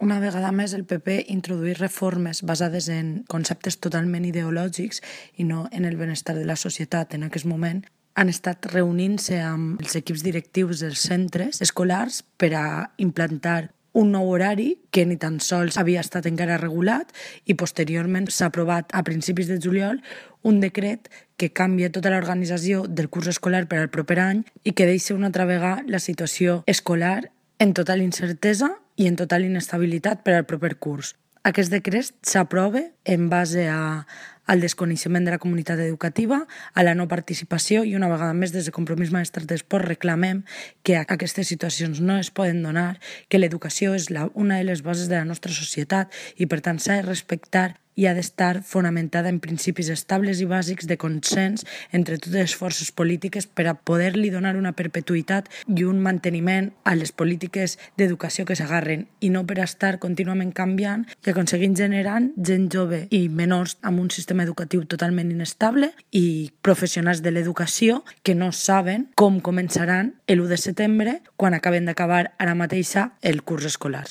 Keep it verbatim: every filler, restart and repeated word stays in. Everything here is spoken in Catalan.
Una vegada més, el P P introdueix reformes basades en conceptes totalment ideològics i no en el benestar de la societat. En aquest moment han estat reunint-se amb els equips directius dels centres escolars per a implantar un nou horari que ni tan sols havia estat encara regulat i posteriorment s'ha aprovat a principis de juliol un decret que canvia tota l'organització del curs escolar per al proper any i que deixa una altra vegada la situació escolar en total incertesa i en total inestabilitat per al proper curs. Aquest decret s'aprova en base a, al desconeixement de la comunitat educativa, a la no participació i una vegada més des de Compromís Malestar d'Esport reclamem que aquestes situacions no es poden donar, que l'educació és la, una de les bases de la nostra societat i per tant s'ha de respectar i ha d'estar fonamentada en principis estables i bàsics de consens entre totes les forces polítiques per a poder-li donar una perpetuïtat i un manteniment a les polítiques d'educació que s'agarren i no per a estar contínuament canviant i aconseguint generant gent jove i menors amb un sistema educatiu totalment inestable i professionals de l'educació que no saben com començaran l'u de setembre quan acaben d'acabar ara mateixa el curs escolar.